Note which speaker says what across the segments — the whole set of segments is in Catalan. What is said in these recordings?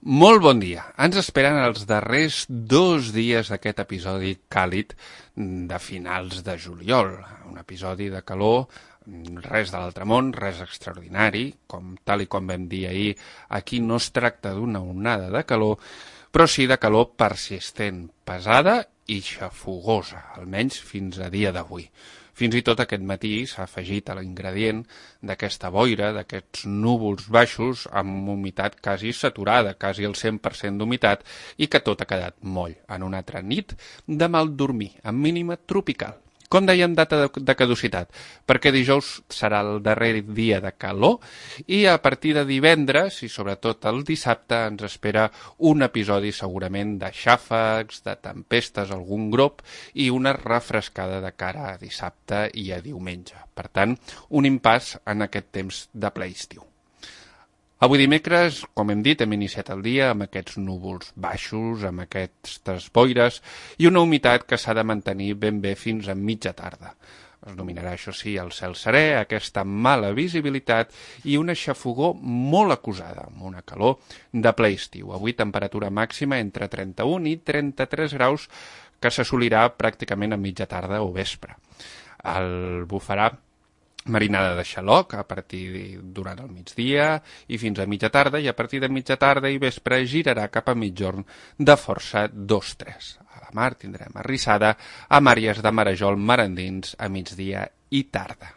Speaker 1: Molt bon dia. Ens esperen els darrers 2 dies d'aquest episodi càlid de finals de juliol. Un episodi de calor, res de l'altre món, res extraordinari, tal i com vam dir ahir, aquí no es tracta d'una onada de calor, però sí de calor persistent, pesada i xafogosa, almenys fins a dia d'avui. Fins i tot aquest matí s'ha afegit a l'ingredient d'aquesta boira, d'aquests núvols baixos amb humitat quasi saturada, quasi el 100% d'humitat, i que tot ha quedat moll en una altra nit de mal dormir, amb mínima tropical. Com dèiem, data de caducitat, perquè dijous serà el darrer dia de calor i a partir de divendres i sobretot el dissabte ens espera un episodi segurament de xàfecs, de tempestes, algun grop i una refrescada de cara a dissabte i a diumenge. Per tant, un impàs en aquest temps de ple estiu. Avui dimecres, com hem dit, hem iniciat el dia amb aquests núvols baixos, amb aquestes boires i una humitat que s'ha de mantenir ben bé fins a mitja tarda. Es dominarà, això sí, el cel serè, aquesta mala visibilitat i una xafogor molt acusada, amb una calor de ple estiu. Avui temperatura màxima entre 31 i 33 graus que s'assolirà pràcticament a mitja tarda o vespre. El bufarà marinada de xaloc a partir durant el migdia i fins a mitja tarda, i a partir de mitja tarda i vespre girarà cap a mitjorn de força 2-3. A la mar tindrem arrissada amb àrees de marejol marandins a migdia i tarda.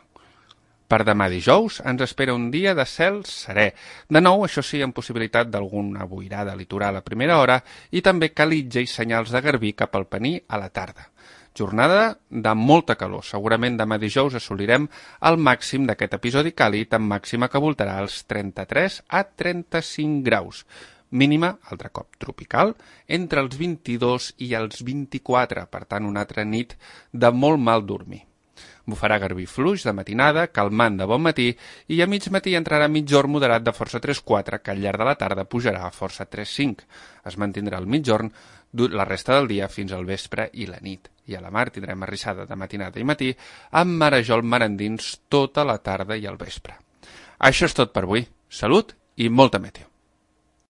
Speaker 1: Per demà dijous ens espera un dia de cel serè. De nou, això sí, amb possibilitat d'alguna boirada litoral a primera hora i també calitja i senyals de garbí cap al Pení a la tarda. Jornada de molta calor. Segurament demà dijous assolirem el màxim d'aquest episodi càlid amb màxima que voltarà els 33 a 35 graus. Mínima, altre cop tropical, entre els 22 i els 24, per tant una altra nit de molt mal dormir. Bufarà garbí fluix de matinada, calmant de bon matí, i a mig matí entrarà mitjorn moderat de força 3-4, que al llarg de la tarda pujarà a força 3-5. Es mantindrà el mitjorn la resta del dia fins al vespre i la nit. I a la mar tindrem arrissada de matinada i matí amb marejol marandins tota la tarda i el vespre. Això és tot per avui. Salut i molta meteo.